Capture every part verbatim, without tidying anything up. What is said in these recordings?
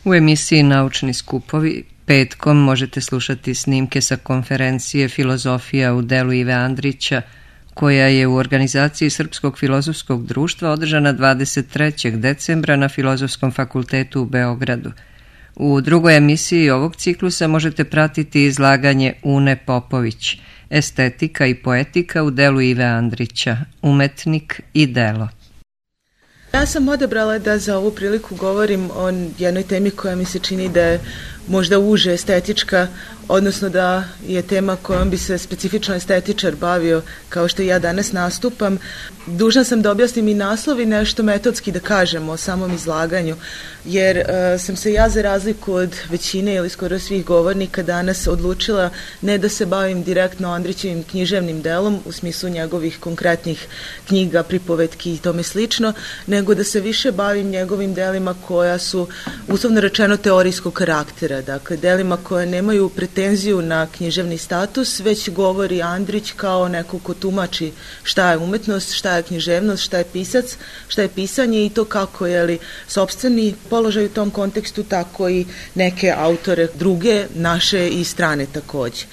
U emisiji Naučni skupovi petkom možete slušati snimke sa konferencije Filozofija u delu Ive Andrića, koja je u organizaciji Srpskog filozofskog društva održana dvadeset trećeg decembra na Filozofskom fakultetu u Beogradu. U drugoj emisiji ovog ciklusa možete pratiti izlaganje Une Popović, Estetika i poetika u delu Ive Andrića, umetnik i delo. Ja sam odabrala da za ovu priliku govorim o jednoj temi koja mi se čini da je možda uže estetička, odnosno da je tema kojom bi se specifično estetičar bavio, kao što ja danas nastupam. Dužna sam da objasnim i naslov i nešto metodski da kažem o samom izlaganju, jer uh, sam se ja za razliku od većine ili skoro svih govornika danas odlučila ne da se bavim direktno Andrićevim književnim delom u smislu njegovih konkretnih knjiga, pripovetki i tome slično, nego da se više bavim njegovim delima koja su uslovno rečeno teorijskog karaktera, dakle delima koje nemaju pretenziju na književni status, već govori Andrić kao neko ko tumači šta je umetnost, šta je književnost, šta je pisac, šta je pisanje i to kako je li sopstveni položaj u tom kontekstu, tako i neke autore druge, naše i strane takođe.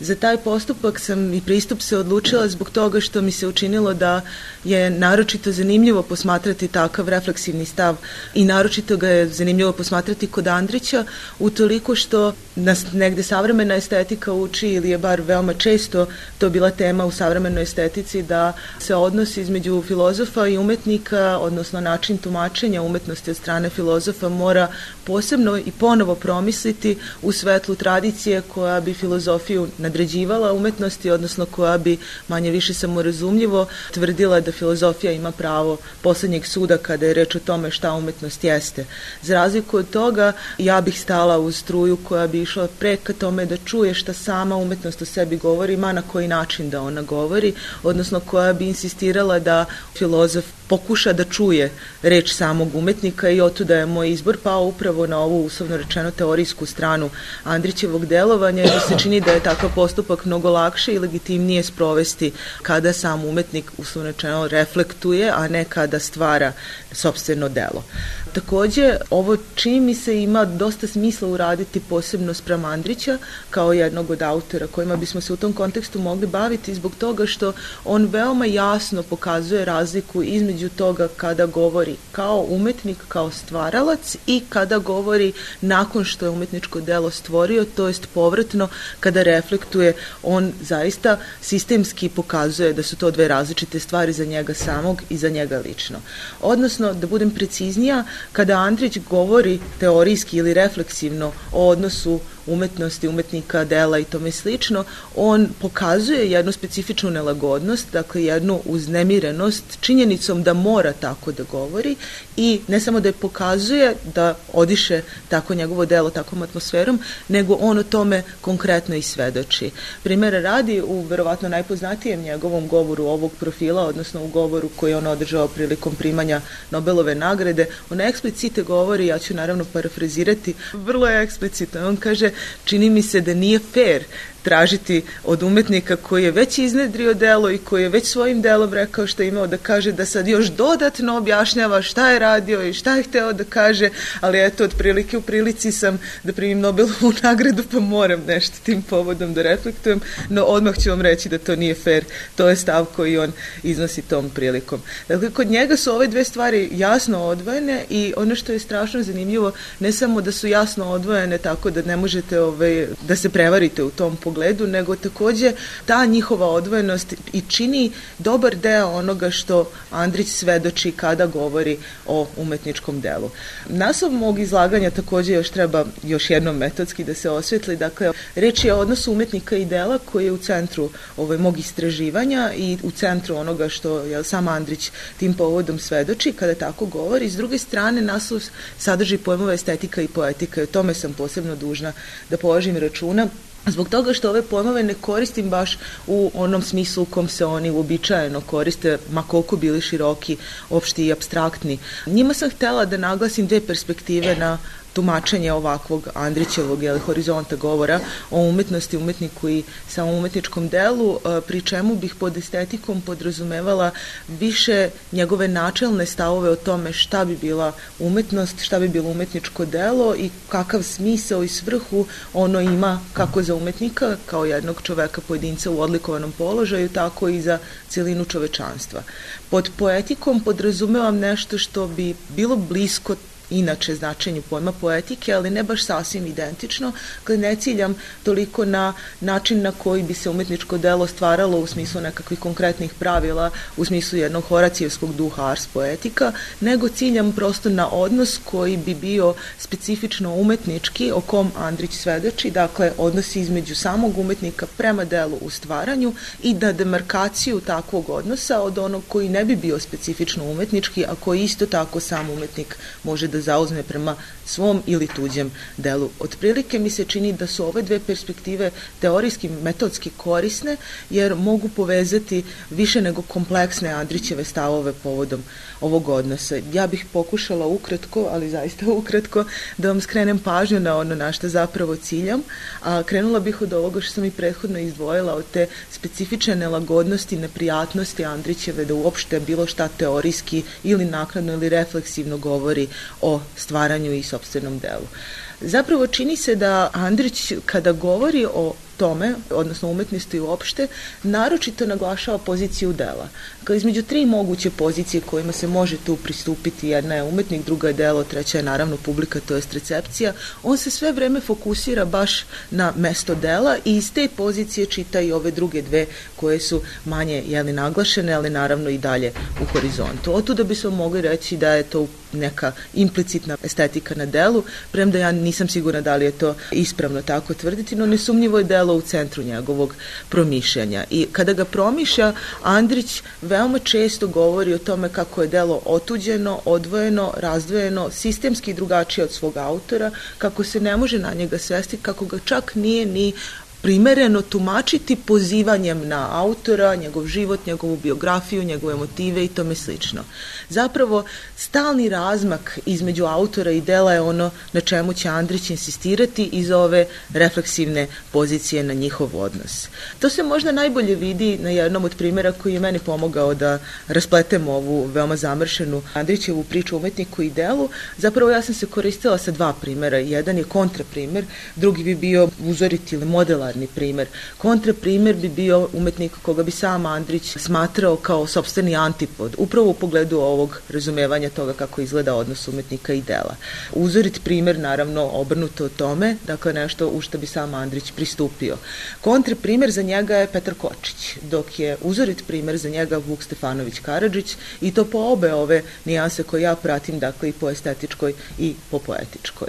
Za taj postupak sam i pristup se odlučila zbog toga što mi se učinilo da je naročito zanimljivo posmatrati takav refleksivni stav i naročito ga je zanimljivo posmatrati kod Andrića, utoliko što nas negde savremena estetika uči, ili je bar veoma često to bila tema u savremenoj estetici, da se odnos između filozofa i umetnika, odnosno način tumačenja umetnosti od strane filozofa, mora posebno i ponovo promisliti u svetlu tradicije koja bi filozofiju nadređivala umetnosti, odnosno koja bi manje više samorazumljivo tvrdila da filozofija ima pravo poslednjeg suda kada je reč o tome šta umetnost jeste. Za razliku od toga, ja bih stala uz struju koja bi išla preka tome da čuje šta sama umetnost o sebi govori, ma na koji način da ona govori, odnosno koja bi insistirala da filozof pokuša da čuje reč samog umetnika i otuda je moj izbor pao upravo na ovu uslovno rečeno teorijsku stranu Andrićevog delovanja, jer se čini da je takav postupak mnogo lakše i legitimnije sprovesti kada sam umetnik uslovno rečeno reflektuje, a ne kada stvara sopstveno delo. Takođe, ovo čini mi se ima dosta smisla uraditi posebno spram Andrića kao jednog od autora kojima bismo se u tom kontekstu mogli baviti zbog toga što on veoma jasno pokazuje razliku između toga kada govori kao umetnik, kao stvaralac i kada govori nakon što je umetničko delo stvorio, to jest povratno kada reflektuje, on zaista sistemski pokazuje da su to dve različite stvari za njega samog i za njega lično. Odnosno, da budem preciznija, kada Andrić govori teorijski ili refleksivno o odnosu umetnosti, umetnika, dela i tome slično, on pokazuje jednu specifičnu nelagodnost, dakle jednu uznemirenost činjenicom da mora tako da govori i ne samo da je pokazuje da odiše tako njegovo delo takvom atmosferom, nego on o tome konkretno i svedoči. Primera radi u verovatno najpoznatijem njegovom govoru ovog profila, odnosno u govoru koji je on održao prilikom primanja Nobelove nagrade, on eksplicite govori, ja ću naravno parafrazirati, vrlo je eksplicitno, on kaže: čini mi se da nije fair tražiti od umetnika koji je već iznedrio delo i koji je već svojim delom rekao što je imao da kaže, da sad još dodatno objašnjava šta je radio i šta je hteo da kaže, ali eto, otprilike u prilici sam da primim Nobelovu nagradu, pa moram nešto tim povodom da reflektujem, no odmah ću vam reći da to nije fair, to je stav koji on iznosi tom prilikom. Dakle, kod njega su ove dve stvari jasno odvojene i ono što je strašno zanimljivo, ne samo da su jasno odvojene tako da ne možete ovaj, da se prevarite u tom pogledu, nego takođe ta njihova odvojenost i čini dobar deo onoga što Andrić svedoči kada govori o umetničkom delu. Naslov mog izlaganja takođe još treba još jednom metodski da se osvetli. Dakle, reč je o odnosu umetnika i dela koji je u centru ovaj, mog istraživanja i u centru onoga što je sam Andrić tim povodom svedoči kada tako govori. S druge strane, naslov sadrži pojmove estetika i poetika i o tome sam posebno dužna da položim računa, zbog toga što ove pojmove ne koristim baš u onom smislu u kom se oni uobičajeno koriste, ma koliko bili široki, opšti i apstraktni. Njima sam htela da naglasim dve perspektive na tumačenje ovakvog Andrićevog ili horizonta govora o umetnosti, umetniku i samom umetničkom delu, pri čemu bih pod estetikom podrazumevala više njegove načelne stavove o tome šta bi bila umetnost, šta bi bilo umetničko delo i kakav smisao i svrhu ono ima kako za umetnika, kao jednog čoveka pojedinca u odlikovanom položaju, tako i za celinu čovečanstva. Pod poetikom podrazumevam nešto što bi bilo blisko inače značenju pojma poetike, ali ne baš sasvim identično, kad ne ciljam toliko na način na koji bi se umetničko delo stvaralo u smislu nekakvih konkretnih pravila, u smislu jednog horacijevskog duha ars poetika, nego ciljam prosto na odnos koji bi bio specifično umetnički, o kom Andrić svedoči, dakle odnos između samog umetnika prema delu u stvaranju i da demarkaciju takvog odnosa od onog koji ne bi bio specifično umetnički, a koji isto tako sam umetnik može da zauzme prema svom ili tuđem delu. Otprilike mi se čini da su ove dve perspektive teorijski, metodski korisne, jer mogu povezati više nego kompleksne Andrićeve stavove povodom ovog odnosa. Ja bih pokušala ukratko, ali zaista ukratko, da vam skrenem pažnju na ono na što zapravo ciljam, a krenula bih od ovoga što sam i prethodno izdvojila, od te specifične nelagodnosti, neprijatnosti Andrićeve da uopšte bilo šta teorijski ili naknadno ili refleksivno govori o stvaranju i sopstvenom delu. Zapravo čini se da Andrić kada govori o tome, odnosno umetnosti uopšte, naročito naglašava poziciju dela. Kao između tri moguće pozicije kojima se može tu pristupiti, jedna je umetnik, druga je delo, treća je naravno publika, to jest recepcija, on se sve vreme fokusira baš na mesto dela i iz te pozicije čita i ove druge dve koje su manje jeli, naglašene, ali naravno i dalje u horizontu. Otuda bismo mogli reći da je to neka implicitna estetika na delu, premda ja nisam sigurna da li je to ispravno tako tvrditi, no nesumnjivo je delo u centru njegovog promišljanja. I kada ga promišlja, Andrić veoma često govori o tome kako je delo otuđeno, odvojeno, razdvojeno, sistemski drugačije od svog autora, kako se ne može na njega svesti, kako ga čak nije ni primereno tumačiti pozivanjem na autora, njegov život, njegovu biografiju, njegove motive i tome slično. Zapravo, stalni razmak između autora i dela je ono na čemu će Andrić insistirati iz ove refleksivne pozicije na njihov odnos. To se možda najbolje vidi na jednom od primjera koji je meni pomogao da raspletem ovu veoma zamršenu Andrićevu priču o umetniku i delu. Zapravo ja sam se koristila sa dva primjera. Jedan je kontraprimer, drugi bi bio uzorit ili modela primer. Kontraprimer bi bio umetnik koga bi sam Andrić smatrao kao sopstveni antipod, upravo u pogledu ovog razumevanja toga kako izgleda odnos umetnika i dela. Uzorit primer, naravno, obrnuto o tome, dakle nešto u što bi sam Andrić pristupio. Kontraprimer za njega je Petar Kočić, dok je uzorit primer za njega Vuk Stefanović Karadžić, i to po obe ove nijanse koje ja pratim, dakle i po estetičkoj i po poetičkoj.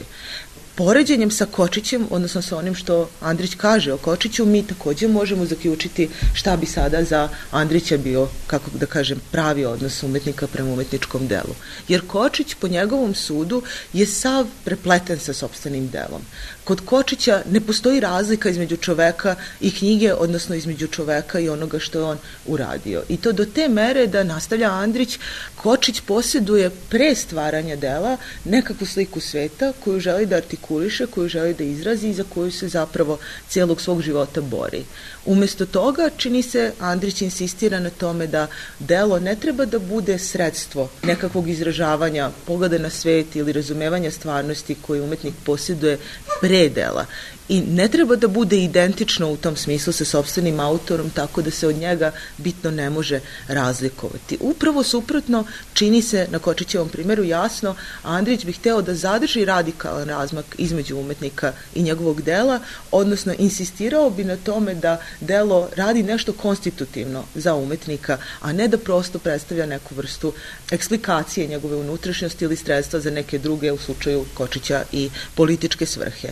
Poređenjem sa Kočićem, odnosno sa onim što Andrić kaže o Kočiću, mi također možemo zaključiti šta bi sada za Andrića bio, kako da kažem, pravi odnos umetnika prema umetničkom delu. Jer Kočić, po njegovom sudu, je sav prepleten sa sopstvenim delom. Kod Kočića ne postoji razlika između čoveka i knjige, odnosno između čoveka i onoga što je on uradio. I to do te mere da, nastavlja Andrić, Kočić posjeduje pre stvaranja dela nekakvu sliku sveta koju želi da artikuliše, koju želi da izrazi i za koju se zapravo cijelog svog života bori. Umesto toga, čini se, Andrić insistira na tome da delo ne treba da bude sredstvo nekakvog izražavanja, pogleda na svet ili razumevanja stvarnosti koju umetnik posjeduje pre dela. I ne treba da bude identično u tom smislu sa sopstvenim autorom, tako da se od njega bitno ne može razlikovati. Upravo suprotno, čini se na Kočićevom primjeru jasno, Andrić bi hteo da zadrži radikalan razmak između umetnika i njegovog dela, odnosno insistirao bi na tome da delo radi nešto konstitutivno za umetnika, a ne da prosto predstavlja neku vrstu eksplikacije njegove unutrašnjosti ili sredstva za neke druge, u slučaju Kočića, i političke svrhe.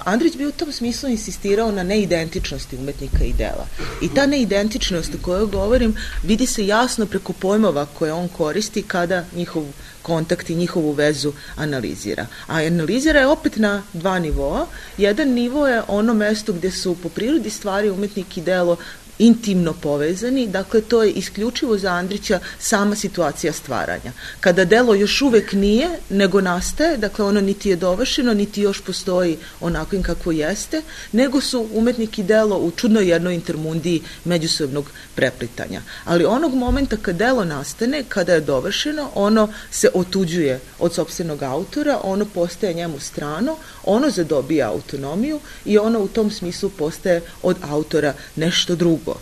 Andrić bi u tom smislu insistirao na neidentičnosti umetnika i dela. I ta neidentičnost o kojoj govorim vidi se jasno preko pojmova koje on koristi kada njihov kontakt i njihovu vezu analizira. A analizira je opet na dva nivoa. Jedan nivo je ono mesto gdje su po prirodi stvari umetnik i delo intimno povezani, dakle to je isključivo za Andrića sama situacija stvaranja. Kada delo još uvek nije, nego nastaje, dakle ono niti je dovršeno, niti još postoji onakvim kako jeste, nego su umetnik i delo u čudnoj jednoj intermundiji međusobnog preplitanja. Ali onog momenta kad delo nastane, kada je dovršeno, ono se otuđuje od sopstvenog autora, ono postaje njemu strano, ono zadobija autonomiju i ono u tom smislu postaje od autora nešto drugo.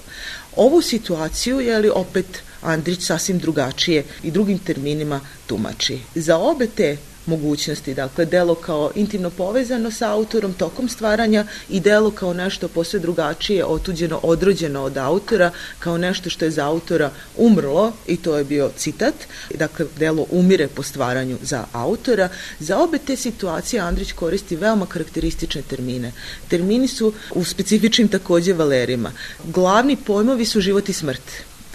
Ovu situaciju je li opet Andrić sasvim drugačije i drugim terminima tumači. Za obe te mogućnosti, dakle delo kao intimno povezano sa autorom tokom stvaranja i delo kao nešto posve drugačije, otuđeno, odrođeno od autora, kao nešto što je za autora umrlo, i to je bio citat, dakle delo umire po stvaranju za autora. Za obe te situacije Andrić koristi veoma karakteristične termine. Termini su u specifičnim takođe valerima. Glavni pojmovi su život i smrt.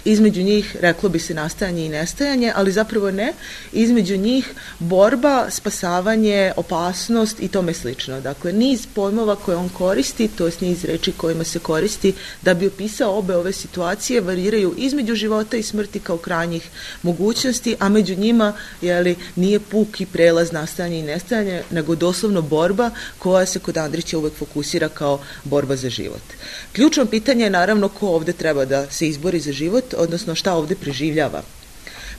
Između njih reklo bi se nastajanje i nestajanje, ali zapravo ne. Između njih borba, spasavanje, opasnost i tome slično. Dakle, niz pojmova koje on koristi, to je niz reči kojima se koristi da bi opisao obe ove situacije, variraju između života i smrti kao krajnjih mogućnosti, a među njima jeli, nije puki prelaz nastajanje i nestajanje, nego doslovno borba koja se kod Andrića uvek fokusira kao borba za život. Ključno pitanje je naravno ko ovde treba da se izbori za život, odnosno šta ovde preživljava.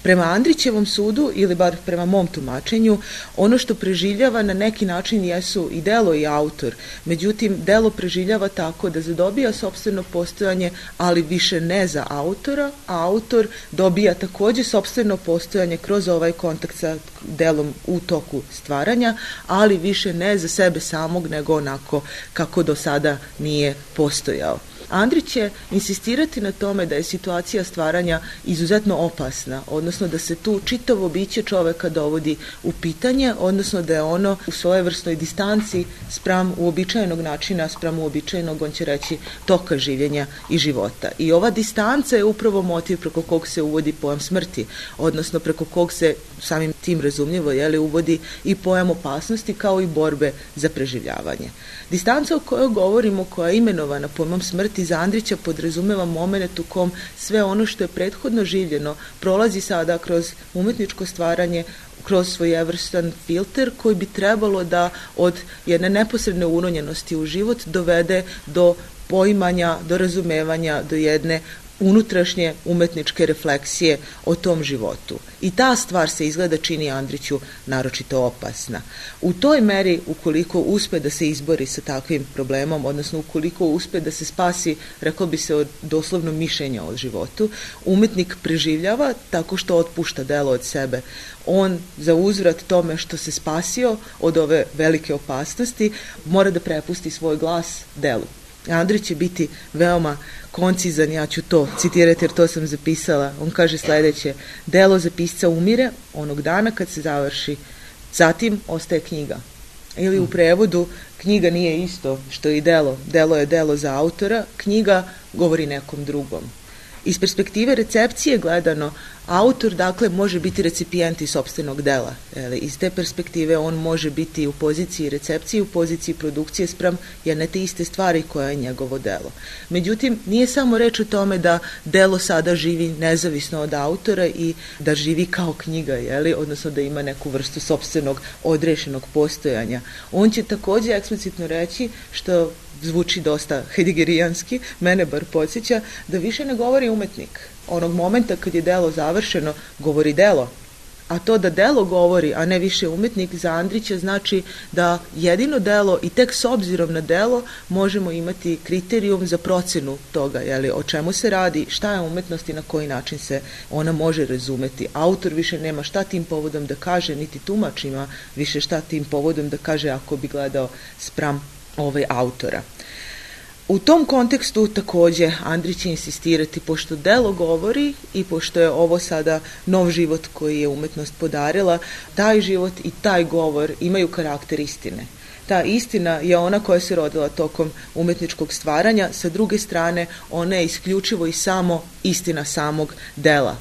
Prema Andrićevom sudu, ili bar prema mom tumačenju, ono što preživljava na neki način jesu i delo i autor. Međutim, delo preživljava tako da zadobija sopstveno postojanje, ali više ne za autora, a autor dobija takođe sopstveno postojanje kroz ovaj kontakt sa delom u toku stvaranja, ali više ne za sebe samog, nego onako kako do sada nije postojao. Andrić će insistirati na tome da je situacija stvaranja izuzetno opasna, odnosno da se tu čitavo biće čoveka dovodi u pitanje, odnosno da je ono u svojevrsnoj distanci spram uobičajenog načina, spram uobičajenog, on će reći, toka življenja i života. I ova distanca je upravo motiv preko kog se uvodi pojam smrti, odnosno preko kog se samim tim razumljivo jeli, uvodi i pojam opasnosti kao i borbe za preživljavanje. Distanca o kojoj govorimo, koja je imenovana pojmom smrti, za Andrića podrazumeva moment u kom sve ono što je prethodno življeno prolazi sada kroz umetničko stvaranje, kroz svojevrstan filter koji bi trebalo da od jedne neposredne uronjenosti u život dovede do poimanja, do razumevanja, do jedne unutrašnje umetničke refleksije o tom životu. I ta stvar se izgleda čini Andriću naročito opasna. U toj meri, ukoliko uspe da se izbori sa takvim problemom, odnosno ukoliko uspe da se spasi, rekao bi se, od doslovno mišljenja o životu, umetnik preživljava tako što otpušta delo od sebe. On za uzvrat tome što se spasio od ove velike opasnosti mora da prepusti svoj glas delu. Andrić će biti veoma koncizan, ja ću to citirati jer to sam zapisala. On kaže sledeće: delo za pisca umire onog dana kad se završi, zatim ostaje knjiga. Ili u prevodu, knjiga nije isto što i delo. Delo je delo za autora, knjiga govori nekom drugom. Iz perspektive recepcije gledano, autor dakle može biti recipijent i sopstvenog dela. Iz te perspektive on može biti u poziciji recepcije, u poziciji produkcije spram jedne te iste stvari koja je njegovo delo. Međutim, nije samo reč o tome da delo sada živi nezavisno od autora i da živi kao knjiga, jeli? Odnosno da ima neku vrstu sopstvenog odrešenog postojanja. On će takođe eksplicitno reći, što zvuči dosta heideggerijanski, mene bar podsjeća, da više ne govori umetnik. Onog momenta kad je delo završeno, govori delo. A to da delo govori, a ne više umetnik, za Andrića znači da jedino delo i tek s obzirom na delo možemo imati kriterijum za procenu toga, jeli, o čemu se radi, šta je umetnost i na koji način se ona može razumeti. Autor više nema šta tim povodom da kaže, niti tumač ima više šta tim povodom da kaže ako bi gledao spram ovaj autora. U tom kontekstu takođe Andrić će insistirati, pošto delo govori i pošto je ovo sada nov život koji je umetnost podarila, taj život i taj govor imaju karakter istine. Ta istina je ona koja se rodila tokom umetničkog stvaranja, sa druge strane ona je isključivo i samo istina samog dela.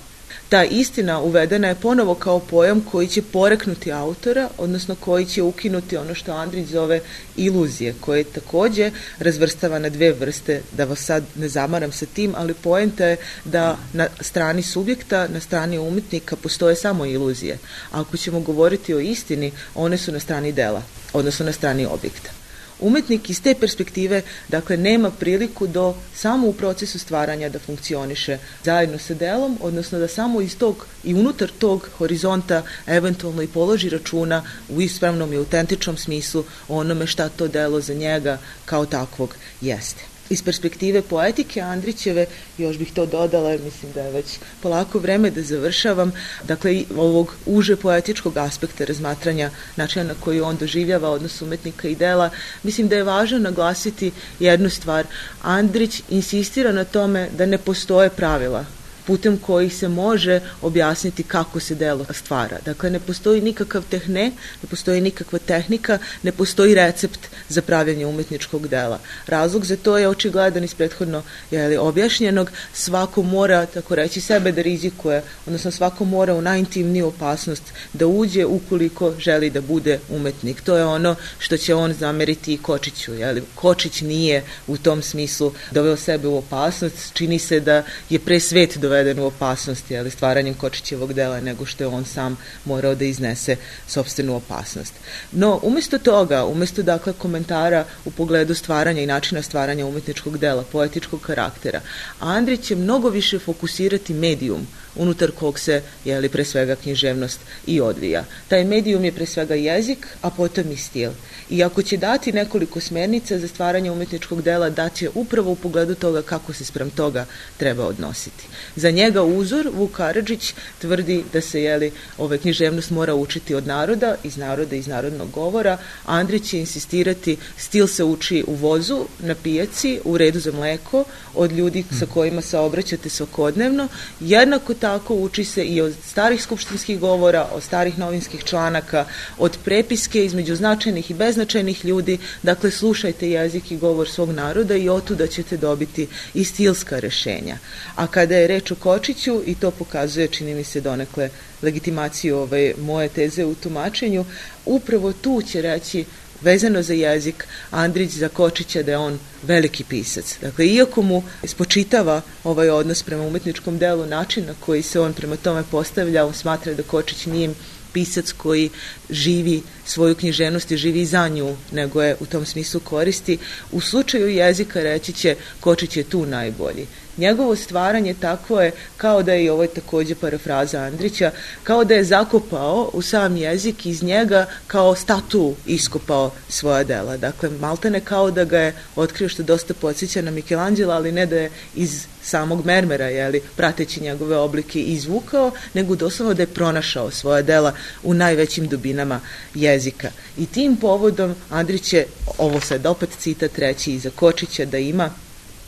Ta istina uvedena je ponovo kao pojam koji će poreknuti autora, odnosno koji će ukinuti ono što Andrić zove iluzije, koje takođe razvrstava na dve vrste, da vas sad ne zamaram sa tim, ali poenta je da na strani subjekta, na strani umetnika postoje samo iluzije. A ako ćemo govoriti o istini, one su na strani dela, odnosno na strani objekta. Umetnik iz te perspektive, dakle, nema priliku do samo u procesu stvaranja da funkcioniše zajedno sa delom, odnosno da samo iz tog i unutar tog horizonta eventualno i položi računa u ispravnom i autentičnom smislu o onome šta to delo za njega kao takvog jeste. Iz perspektive poetike Andrićeve, još bih to dodala, jer mislim da je već polako vreme da završavam, dakle, ovog uže poetičkog aspekta razmatranja načina na koji on doživljava odnos umetnika i dela, mislim da je važno naglasiti jednu stvar. Andrić insistira na tome da ne postoje pravila putem kojih se može objasniti kako se delo stvara. Dakle, ne postoji nikakav tehne, ne postoji nikakva tehnika, ne postoji recept za pravljanje umetničkog dela. Razlog za to je očigledan iz prethodno jeli, objašnjenog. Svako mora, tako reći, sebe da rizikuje, odnosno svako mora u najintimniju opasnost da uđe ukoliko želi da bude umetnik. To je ono što će on zameriti i Kočiću. Jeli. Kočić nije u tom smislu doveo sebe u opasnost. Čini se da je pre svet doveo doveden u opasnosti, ali stvaranjem Kočićevog dela, nego što je on sam morao da iznese sopstvenu opasnost. No, umesto toga, umesto dakle komentara u pogledu stvaranja i načina stvaranja umetničkog dela, poetičkog karaktera, Andrić će mnogo više fokusirati medijum unutar kog se, jeli, pre svega književnost i odvija. Taj medijum je pre svega jezik, a potom i stil. I ako će dati nekoliko smernica za stvaranje umetničkog dela, daće upravo u pogledu toga kako se sprem toga treba odnositi. Za njega uzor, Vuk Karadžić, tvrdi da se, jeli, ove književnost mora učiti od naroda, iz naroda, iz narodnog govora. Andrić će insistirati, stil se uči u vozu, na pijaci, u redu za mleko, od ljudi sa kojima se obraćate svakodnevno. Jednako tako uči se i od starih skupštinskih govora, od starih novinskih članaka, od prepiske između značajnih i beznačajnih ljudi. Dakle, slušajte jezik i govor svog naroda i otuda ćete dobiti i stilska rešenja. A kada je reč o Kočiću, i to pokazuje, čini mi se, donekle legitimaciju ove moje teze u tumačenju, upravo tu će reći, vezano za jezik, Andrić za Kočića da je on veliki pisac. Dakle, iako mu spočitava ovaj odnos prema umetničkom delu, način na koji se on prema tome postavlja, on smatra da Kočić nije pisac koji živi svoju književnost i živi za nju, nego je u tom smislu koristi. U slučaju jezika reći će Kočić je tu najbolji. Njegovo stvaranje takvo je kao da je, i ovo je takođe parafraza Andrića, kao da je zakopao u sam jezik, iz njega kao statu iskopao svoja dela. Dakle, maltene kao da ga je otkrio, što dosta podsjeća na Michelangela, ali ne da je iz samog mermera, jeli, prateći njegove oblike izvukao, nego doslovno da je pronašao svoja dela u najvećim dubinama jezika. I tim povodom Andrić će, ovo sad opet citat reći iza Kočića, da ima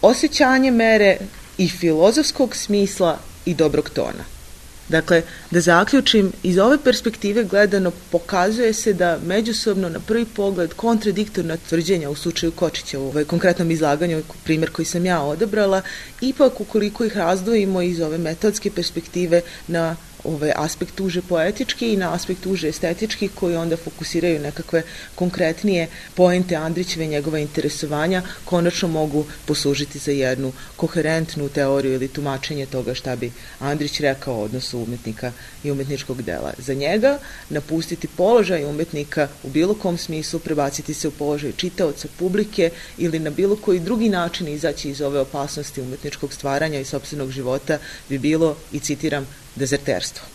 osjećanje mere i filozofskog smisla i dobrog tona. Dakle, da zaključim, iz ove perspektive gledano pokazuje se da međusobno na prvi pogled kontradiktorna tvrđenja u slučaju Kočića, u ovaj konkretnom izlaganju, primjer koji sam ja odabrala, ipak ukoliko ih razdvojimo iz ove metodske perspektive na ovaj aspekt uže poetički i na aspekt uže estetički, koji onda fokusiraju nekakve konkretnije poente Andrićeve i njegova interesovanja, konačno mogu poslužiti za jednu koherentnu teoriju ili tumačenje toga šta bi Andrić rekao o odnosu umetnika i umetničkog dela. Za njega napustiti položaj umetnika u bilo kom smislu, prebaciti se u položaj čitaoca, publike ili na bilo koji drugi način izaći iz ove opasnosti umetničkog stvaranja i sopstvenog života bi bilo, i citiram, dezerterstvo.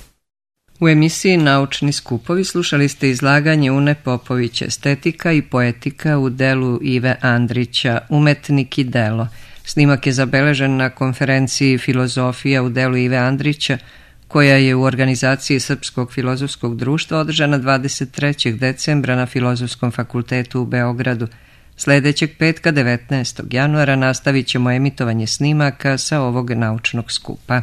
U emisiji Naučni skupovi slušali ste izlaganje Une Popović, Estetika i poetika u delu Ive Andrića, Umetnik i delo. Snimak je zabeležen na konferenciji Filozofija u delu Ive Andrića, koja je u organizaciji Srpskog filozofskog društva održana dvadeset trećeg decembra na Filozofskom fakultetu u Beogradu. Sledećeg petka devetnaestog januara nastavit ćemo emitovanje snimaka sa ovog naučnog skupa.